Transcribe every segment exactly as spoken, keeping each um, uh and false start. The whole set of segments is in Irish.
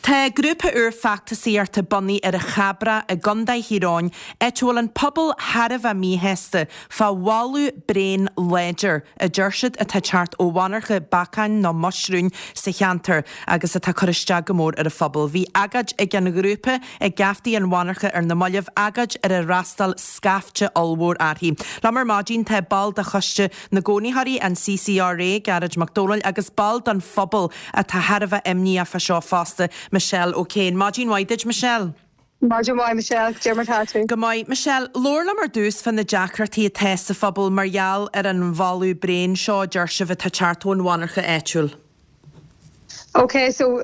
Tá grúpa úr feachtasaíochta bunaithe ar an Chabrach i gContae Thír Eoghain, áit a bhfuil an pobal thar a bheith míshásta fá bholadh bréan láidir, a deir siad, atá ag teacht ó mhonarcha bacáin nó muisriúin sa cheantar agus atá ag cur isteach go mór ar an phobal. Bhí agóid ag an ghrúpa ag geaftaí an mhonarcha ar na mallaibh, agóid ar ar fhreastail scaifte ollmhór uirthi. Liom ar maidin tá ball de Choiste na gCónaitheoirí, an CCRA, Gearóid Mac Dónaill, agus ball den phobal atá thar a bheith imníoch fá seo fosta, Michelle O'Kane. Maidin mhaith duit, Michelle. Maidin mhaith, Michelle. Cad é mar tá tú? Go maith. Michelle, labhair liom ar dtús fá na deacrachtaí atá sa phobal mar gheall ar an bholadh bréan seo a deir sibh atá ag teacht ón mhonarcha áitiúil. Ok, so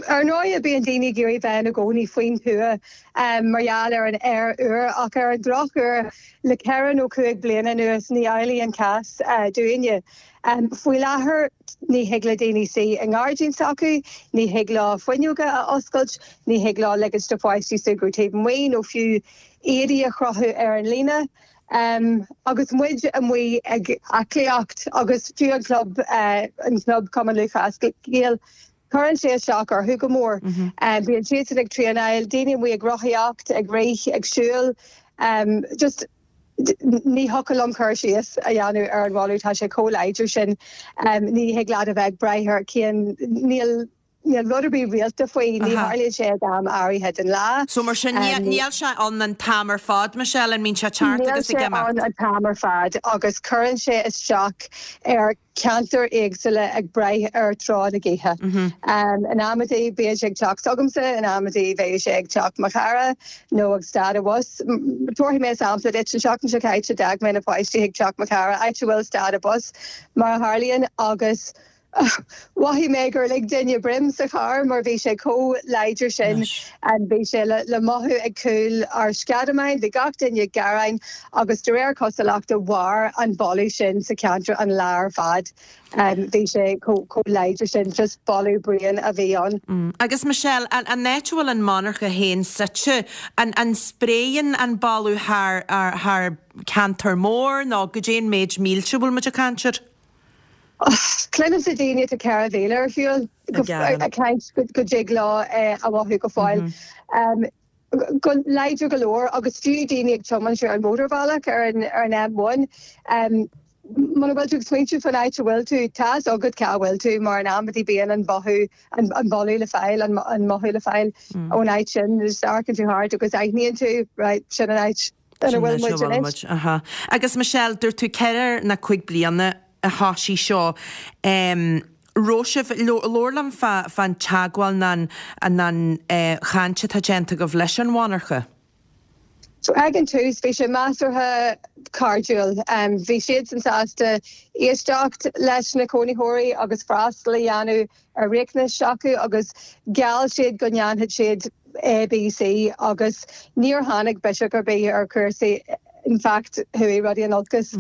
ar ndóigh bíonn daoine ag iarraidh bheith ina gcónaí faoin tuath mar gheall ar an aer úr ach ar an drochuair le ceithre nó cúig bliana anuas ní amhlaidh an cás dúinne. Faoi láthair ní thig le daoine suí i ngairdín s'acu, ní thig leo fuinneoga a oscailt, ní thig leo ligint do pháistí súgradh taobh amuigh nó fiú éadaí a chrochadh ar an líne. Agus muid amuigh ag aclaíocht agus fiú an club, an club Cumann Lúthchleas Gael, cuireann sé isteach orthu go mór. Bíonn siadsan ag traenáil, daoine amuigh ag rothaíocht, ag rith, ag siúl, just ní thiocfadh liom cur síos a dhéanamh ar an bholadh, tá sé chomh láidir sin. Ní thig leat a bheith ag brath ar cén, níl Níl rud ar bith rialta faoi, ní tharlaíonn sé ag am áirithe den lá. So mar sin, níl sé ann an t-am ar fad, Michelle, an mbíonn sé ag teacht agus ag imeacht? Níl sé ann an t-am ar fad agus cuireann sé isteach ar cheantair éagsúla ag brath ar tráth na gaoithe. In amantaí bíonn sé ag teach s'agamsa, in amantaí bheadh sé ag teach mo chara nó ag stad an bhus. Tabharfaidh mé sampla duit, an tseachtain seo caite d'fhág mé na páistí chuig teach mo chara, áit a bhfuil stad an bus mar a tharlaíonn, agus Mhothaigh mé gur lig duine broim sa charr mar bhí sé chomh láidir sin. Bhí sé le mothú ag cúl ár sceadamáin, bhí gach duine ag gearán agus de réir cosúlachta mhair an boladh sin sa cheantar an lá ar fad. Bhí sé chomh láidir sin, just boladh bréan a bhí ann. Agus Michelle, an áit a bhfuil an monarcha féin suite, an spréann an boladh thar ceantar mór nó goidé an méid mílte a bhfuil muid ag caint air? Cluinimse daoine atá ceithre mhíle ar shiúl ag caint go dtig leo é a mhothú go fóill. Go láidir go leor agus fiú daoine ag tiomáint ar an mótarbhealach ar an M one. Muna bhfuil tú ag smaointiú faoin áit a bhfuil tú, tá fhios agat cá bhfuil tú mar in amantaí bíonn an mothú, an boladh le fáil, an mothú le fáil ón áit sin. Just amharcann tú thart agus aithníonn tú, right, sin an áit ina bhfuil muid anois. Aha. Agus Michelle, dúirt tú ceithre nó cúig bliana a thoisigh seo. Raibh sibh, labhair liom fán teagmháil nó an chaint atá déanta agaibh leis an mhonarcha. So ag an tús bhí sé measartha cairdiúil. Bhí siadsan sásta éisteacht leis na cónaitheoirí agus freastal a dhéanamh ar riachtanais s'acu agus gheall siad go ndéanfadh siad A, B, C agus níor tháinig biseach ar bith ar chúrsaí, in fact chuaigh rudaí in olcas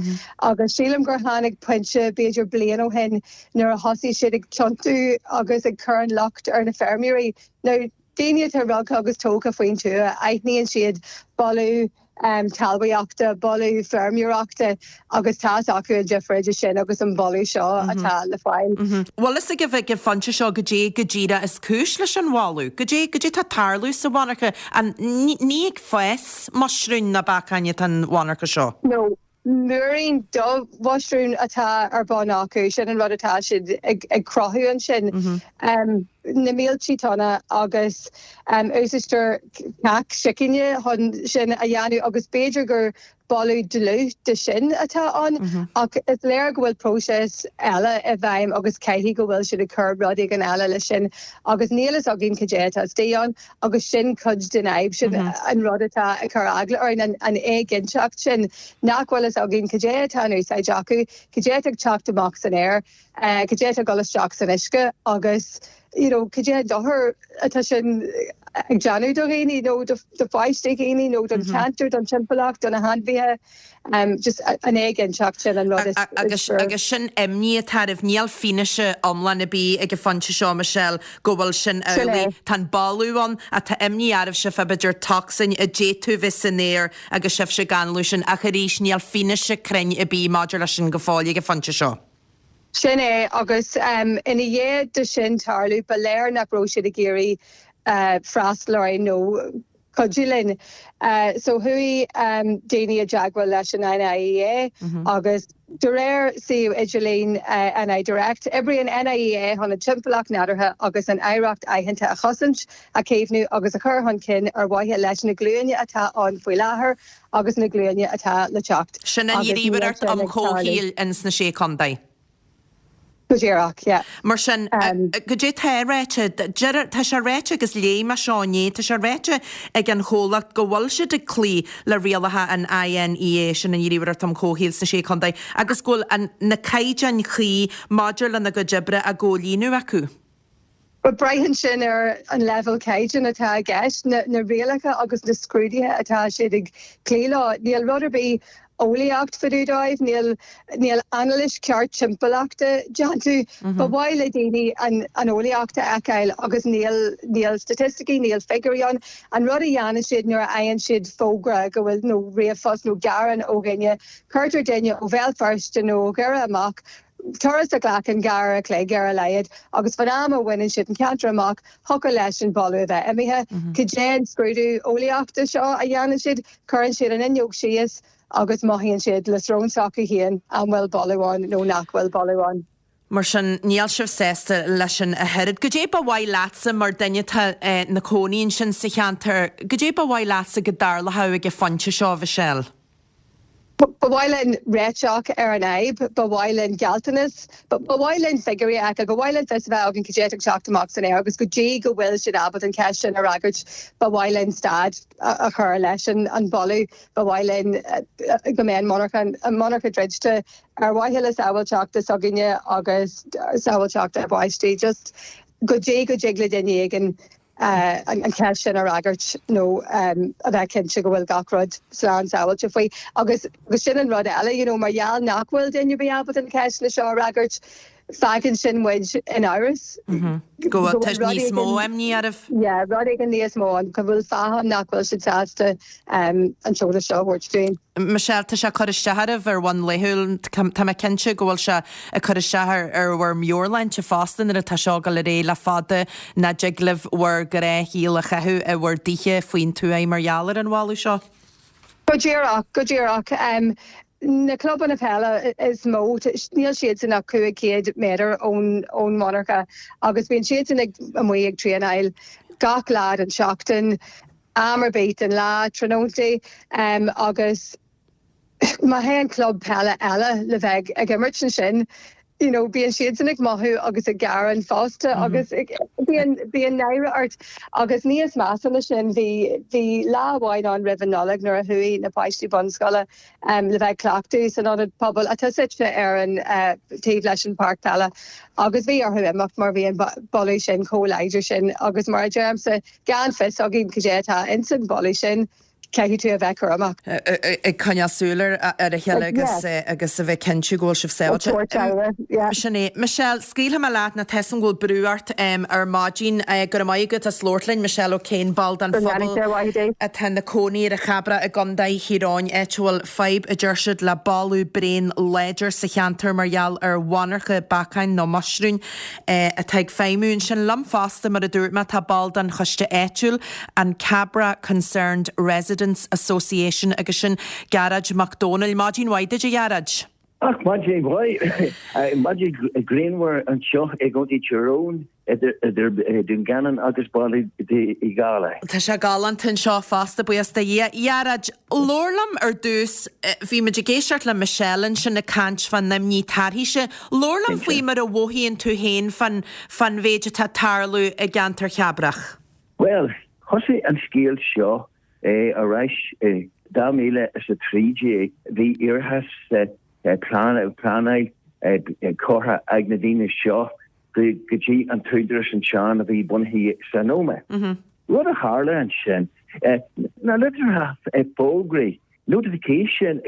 agus sílim gur tháinig pointe b'fhéidir bliain ó shin nuair a thosaigh siad ag tiontú agus ag cur an locht ar na feirmeoirí. Now daoine atá rugtha agus tógtha faoin tuath, aithníonn siad boladh talmhaíochta, boladh feirmeoireachta agus tá fhios acu an difear idir sin agus an boladh seo atá le fáil. Bhfuil fhios agaibh ag an phointe seo goidé go díreach is cúis leis an bholadh? Goidé, goidé atá ag tarlú sa mhonarcha? An, ní ag fás muisriúin ná bacáin atá an mhonarcha seo? No, múirín de mhuisriúin atá ar bun acu, sin an rud atá siad ag cruthú ansin. Na mílte tonna agus úsáidtear cac sicíne chun sin a dhéanamh agus b'fhéidir gur boladh dlúth de sin atá ann ach is léir go bhfuil próiseas eile i bhfeidhm agus caithfidh go bhfuil siad ag cur rud éigin eile leis sin agus níl fhios againn cad é atá istigh ann agus sin cuid den fhadhb, sin an rud atá ag cur eagla orainn, an éiginnteacht sin nach bhfuil fhios againn cad é atá in úsáid acu, cad é atá ag teacht amach san aer, cad é atá ag dul isteach san uisce agus you know cad é an dochar atá sin ag déanamh do dhaoine nó do pháistí dhaoine nó don cheantar, don timpeallacht, do na hainmhithe. Just an éiginnteacht sin an rud is Agus agus sin imní atá oraibh. Níl fianaise iomlán ar bith ag an phointe seo, Michelle, go bhfuil sin Sin é. amhlaidh. Tá an boladh ann ach tá imní oraibhse fá b'fhéidir tocsain a d'fhéadfadh bheith san aer agus sibhse ag análú sin ach arís níl fianaise cruinn ar bith maidir leis sin go fóill ag an phointe seo. Sin é, agus ina dhiaidh de sin tarlú, ba léir nach raibh siad ag iarraidh freastal orainn nó cuidiú linn. So chuaigh daoine i dteagmháil leis an NIEA agus de réir suíomh idirlín NI Direct, oibríonn NIEA chun an timpeallacht nádúrtha agus an oidhreacht aitheanta a chosaint, a chaomhnú agus a chur chun cinn ar mhaithe leis na glúine atá ann faoi láthair agus na glúine atá le teacht. Sin an Ghníomhaireacht um Chomhshaoil ins na Sé Chontae. Go díreach, yeah. Mar sin, goidé tá ráite, tá sé ráite agus léigh mé seo inné, tá sé ráite ag an chomhlacht go bhfuil siad ag cloí le rialacha an INEA, sin an Ghníomhaireacht um Chomhshaoil sna Sé Chontae, agus go bhfuil na caighdeáin chuí maidir lena gcuid oibre á gcomhlíonadh acu. But braitheann sin ar an leibhéal caighdeán atá i gceist, na na rialacha agus na scrúduithe atá siad ag cloí leo. Níl rud ar bith eolaíocht fá dtaobh dóibh, níl níl anailís ceart timpeallachta déanta. Ba mhaith le daoine an an eolaíocht a fheiceáil agus níl níl staitisticí, níl figiúirí ann. An rud a dhéanann siad nuair a fhaigheann siad fógra go bhfuil nó ríomhphost nó gearán ó dhuine, cuirtear duine ó Bhéal Feirste nó ó Dhoire amach, turas a ghlacann dhá uair a chloig ar a laghad agus fan am a bhaineann siad an ceantar amach, thiocfadh leis an boladh a bheith imithe. Cad é an scrúdú eolaíochta seo a dhéanann siad? Cuireann siad an fhuinneog síos agus mothaíonn siad le srón s'acu féin an bhfuil boladh ann nó nach bhfuil boladh ann. Mar sin, níl sibh sásta leis sin ach oiread. Goidé ba mhaith leatsa mar duine atá ina cónaí ansin sa cheantar, goidé ba mhaith leatsa go dtarlódh ag an phointe seo, Mhichelle? Ba mhaith linn réiteach ar an fhadhb, ba mhaith linn gealltanas, ba mhaith linn figiúirí a fheiceáil, ba mhaith linn fios a bheith againn cad é atá ag teacht amach san aer agus go dtí go bhfuil siad ábalta an cheist sin a fhreagairt, ba mhaith linn stad a chur leis an boladh, ba mhaith linn go mbeidh an monarcha an monarcha druidte ar mhaithe le sábháilteacht s'againne agus sábháilteacht ár bpáistí. Just go dtí go dtig le duine éigin an cheist sin a fhreagairt nó a bheith cinnte go bhfuil gach rud slán sábháilte faoi. Agus agus sin an rud eile, you know, mar gheall nach bhfuil duine ar bith ábalta na ceisteanna seo a fhreagairt, fágann sin muid in amhras. Go bhfuil níos mó imní oraibh? Yeah, rud éigin níos mó an go bhfuil fáth nach bhfuil siad sásta an t-eolas seo a thabhairt dúinn. Michelle, tá sé ag cur isteach oraibh ar bhonn laethúil, tá mé cinnte go bhfuil sé ag cur isteach ar bhur meabhairshláinte fosta nuair atá seo ag dul ar aghaidh le fada nach dtig libh bhur ngnáthshaol a chaitheamh i bhur dtithe faoin tuath mar gheall ar an bholadh seo. Go díreach, go díreach. Um, na clubanna peile is mó níl siadsan ach cúig chéad méadar ón ón monarcha agus bíonn siadsan ag amuigh ag traenáil gach lá den seachtain am ar bith den lá tráthnóntaí um, agus má théann club peile eile le bheith ag imirt ansin you know bíonn siadsan ag mothú agus ag gearán fosta mm -hmm. agus bíonn bíonn náire ort agus níos measa ná sin bhí bhí lá amháin ann roimh an Nollaig nuair a chuaigh na páistí bunscoile um, le bheith cleachtadh san ionad pobail atá suite ar an uh, taobh leis an páirc peile agus bhí orthu imeacht mar bhí an boladh sin chomh láidir sin agus mar a deirimse gan fios againn cad é atá insan boladh sin caithfidh tú a bheith cúramach. Ag coinneáil súil ar a chéile agus agus a bheith cinnte go bhfuil sibh sábháilte. Sin é. Michelle, scaoilfidh mé leat nó tá a fhios agam go bhfuil brú ort ar maidin go raibh maith agat as labhairt linn, Michelle O'Kane, ball den phobal atá ina cónaí ar an Chabrach i gContae Thír Eoghain, áit a bhfuil fadhb a deir siad le boladh bréan láidir sa cheantar mar gheall ar mhonarcha beacáin nó muisriúin atá ag feidhmiú ansin. Liom fosta, mar a dúirt mé, tá ball den choiste áitiúil, an Cabra Concerned Residents Association agus sin Gearóid Mac Dónaill. Maidin mhaith duit, a Ghearóid. Ach maidin mhaith maidin grianmhar anseo i gContae Tyrone idir Dún Geanainn agus Baile Uí Dhálaigh. Tá sé galánta anseo fosta buíochas do Dhia. Ghearóid, labhair liom ar dtús, bhí muid ag éisteacht le Michelle ansin ag caint fán imní tairthíse. Labhair liom faoi mar a mhothaíonn tú féin fán fán mhéid atá ag tarlú i gceantar Chabrach. Well, thosaigh an scéal seo ar ais i dhá mhíle is a trí déag. Bhí iarratas pleanáil curtha ag na daoine seo go dtí an t-údarás ansin a bhí bunaithe san Ómaigh. Rud a tharla ansin, na litreacha fógraí, notification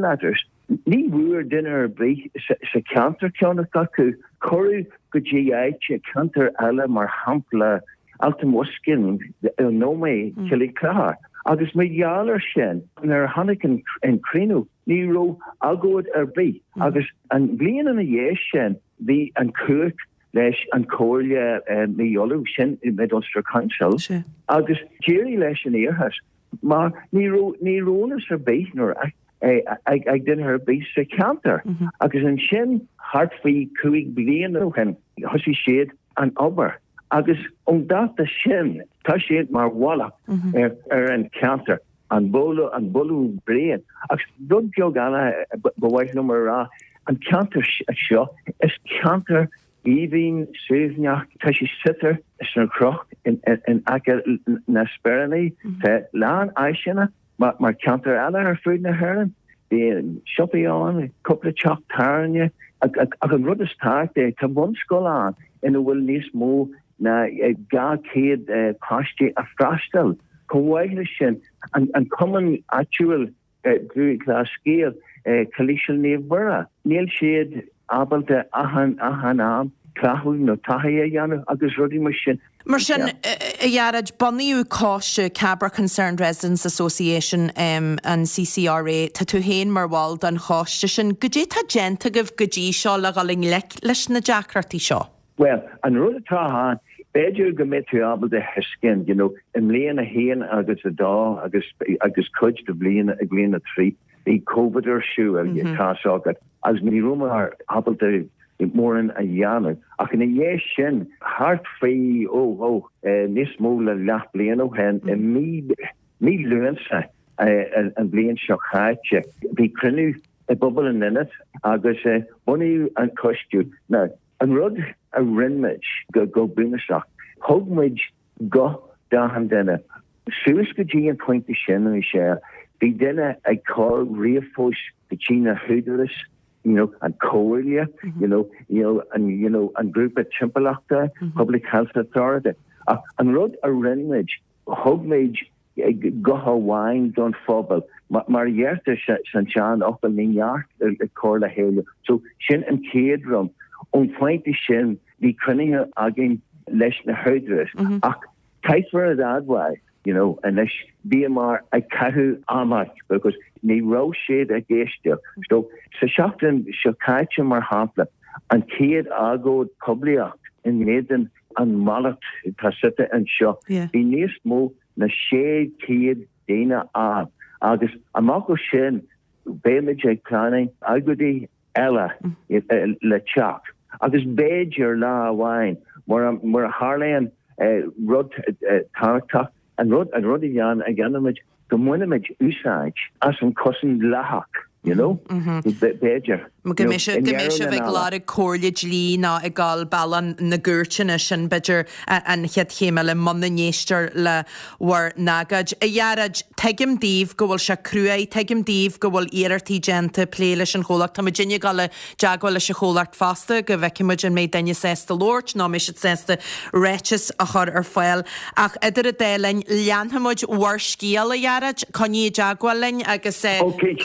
letters, ní bhfuair duine ar bith sa cheantar ceann acu. Cuireadh go dtí áit, ceantar eile, mar shampla Allt an Bhoscáin, an Ómaigh, Cill Chlochair. Agus mar gheall air sin, nuair a tháinig an cruinniú, ní raibh agóid ar bith. Agus an bhliain ina dhiaidh sin, bhí an cumhacht leis an Comhairle mí Iúil sin Mid Ulster Council agus d'éirigh leis an iarratas mar ní ní raibh ar bith nuair ag ag duine ar bith sa cheantar mhm. agus ansin thart faoi cúig bliana ó shin thosaigh siad an obair agus ón dáta sin tá siad mar mhallacht mhm. ar, ar an ceantar an boladh an boladh bréan agus rud beag eile ba mhaith liom a rá an ceantar seo is ceantar aoibhinn suaimhneach tá sé suite sna cnoic in, in, in aice na Sperrins mm -hmm. lán áiseanna mar, mar ceantar eile ar fud na hÉireann bíonn siopaí ann cúpla teach tábhairne ach an rud is tábhachtaí tá bunscoil ann ina bhfuil níos mó ná dhá chéad eh, páistí ag freastal chomh maith leis sin an, an cumann áitiúil eh, Lúthchleas Gael eh, Coláiste Naomh Muire níl siad ábalta achan achan am cleachtadh nó taithí a dhéanamh agus rudaí mar sin. Mar sin a Ghearóid bunaíodh coiste Cabra Concerned Residents Association um, an CCRA Tá tú féin mar bhall den choiste sin, Goidé tá déanta agaibh go dtí seo le dhul i ngleic leis na deacrachtaí seo. Well, an rud atá ann b'fhéidir go mbeidh tú ábalta thuiscint, you know, i mbliain a haon agus a dó agus agus cuid de bhliain ag bliain a trí bhí COVID ar siúl mm -hmm. tá agat agus ní rabhamar ábalta mórán a dhéanamh ach ina dhiaidh sin thart faoi ó ó eh, níos mó ná leathbhliain ó shin i mí mí Lúnasa eh, an bhliain seo caite bhí cruinniú i bpobal an Ionaid agus eh, bunaíodh an coiste na an rud a rinne muid go go bunúsach thug muid guth d'achan duine suas go dtí an pointe sin an sé bhí duine ag cur ríomhphost go dtí na húdaráis you know an Chomhairle mm -hmm. you know you know an you know an grúpa timpeallachta mm -hmm. public health authority ach an rud a rinne muid thug muid guth amháin don phobal mar a deirtear san seanfhocal ní neart ag cur le chéile so sin an chéad rud ón phointe sin bhí cruinnithe againn leis na húdaráis mm -hmm. ach caithfear a admháil you know anois bhíomar ag caitheamh ama because ní raibh siad ag éisteacht so sa seachtain seo caite mar shampla an chéad agóid poiblíocht in éadan an mallacht tá suite anseo bhí níos mó ná sé chéad daoine ann agus amach ó sin beimid ag pleanáil agóidí eile mm. le teacht agus b'fhéidir lá amháin mar a tharlaíonn eh, rud eh, tábhachtach an rud an rud a dhéan a dhéanfaimid go mbainfimid úsáid as an cosaint dleathach you know mm -hmm. b'fhéidir go mbeidh sibh ag lorg comhairle dlí ná ag dul bealach na gcúirteanna sin b'fhéidir an chéad chéim eile muna n-éistear le bhur n-agóid. A Ghearóid tuigim daoibh go bhfuil sé cruaidh, tuigim daoibh go bhfuil iarrachtaí déanta plé leis an chomhlacht Tá muidinne ag dul i dteagmháil leis an chomhlacht fosta go bhfeicfidh muid an mbeidh duine sásta labhairt nó mbeidh siad sásta ráiteas a chur ar fáil ach idir an dá linn leanfaimid bhur scéal a Ghearóid, coinnigh i dteagmháil linn agus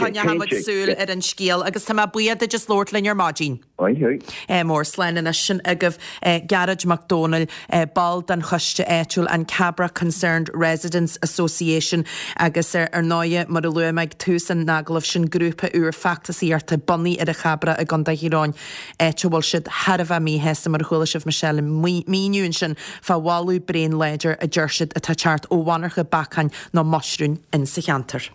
coinneoimid súil ar an scéal agus tá mé buíoch duit as labhairt linn ar maidin. Mór slán anois sin agaibh Gearóid Mac Dónaill ball den choiste áitiúil an Cabra Concerned Residents Association agus ar ar ndóigh mar a luaigh mé ag tús an agallaimh sin grúpa úr feachtasaíochta bunaithe ar an Chabra i gContae Thír Eoghain áit a bhfuil siad thar a bheith míshásta mar a chuala sibh Michelle míniú ansin fá bholadh bréan láidir a deir siad atá ag teacht ó mhonarcha bacáin nó muisriúin in sa cheantar.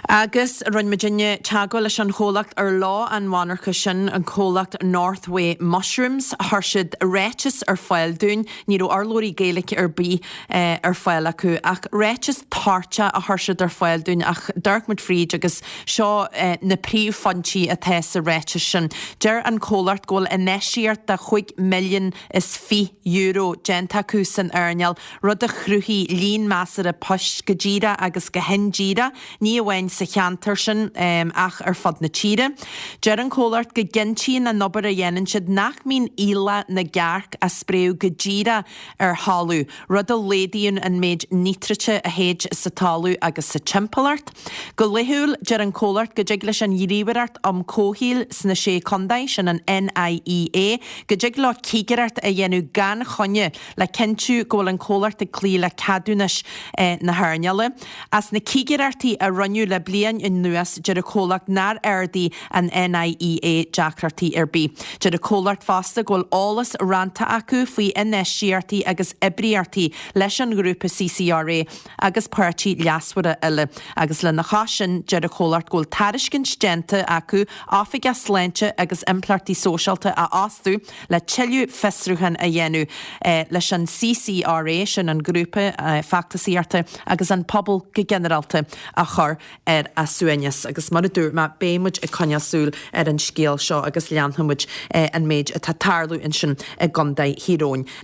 Agus rinne muidinne teagmháil leis an chomhlacht ar lá an mhonarcha sin an comhlacht Northway Mushrooms chuir siad ráiteas ar fáil dúinn, ní raibh urlabhraí Gaeilge ar bith eh, ar fáil acu ach ráiteas toirteach a chuir siad ar fáil dúinn ach d'amharc muid fríd agus seo eh, na príomhphointí atá sa ráiteas sin. Deir an comhlacht go bhfuil infheistíocht de chúig milliún is fiche euro déanta acu san earnáil, rud a chruthaigh líon measartha poist go díreach agus go hindíreach, ní amháin sa cheantar sin um, ach ar fud na tíre. Deir an comhlacht go gcinntíonn an obair a dhéanann siad nach mbíonn íle na gcearc á spréadh go díreach ar thalamh, rud a laghdaíonn an méid nítrite a théid sa talamh agus sa timpeallacht. Go laethúil deir an comhlacht go dtig leis an Ghníomhaireacht um Comhshaoil sna sé chontae sin an NIEA, go dtig leo cigireacht a dhéanamh gan choinne le cinntiú go bhfuil an comhlacht ag cloí le ceadúnais eh, na hearnála. As na cigireachtaí cinntí a rinneadh le bliain anuas deir an comhlacht nár ardaigh an NIEA deacrachtaí ar bith. Deir an comhlacht fosta go bhfuil eolas roinnte acu faoi infheistíochtaí agus oibríochtaí leis an ghrúpa CCRA agus páirtithe leasmhara eile. Agus lena chois sin deir an comhlacht go bhfuil tairiscint déanta acu oifigeach sláinte agus impleachtaí sóisialta a fhostú le tuilleadh fiosrúchán a dhéanamh eh, leis an CCRA sin an grúpa eh, feachtasaíochta agus an pobal go ginearálta a chur ar a suaimhneas agus mar a dúirt mé beimid ag coinneáil súil ar an scéal seo agus leanfaimid eh, an méid atá ag tarlú ansin i gContae Thír Eoghain.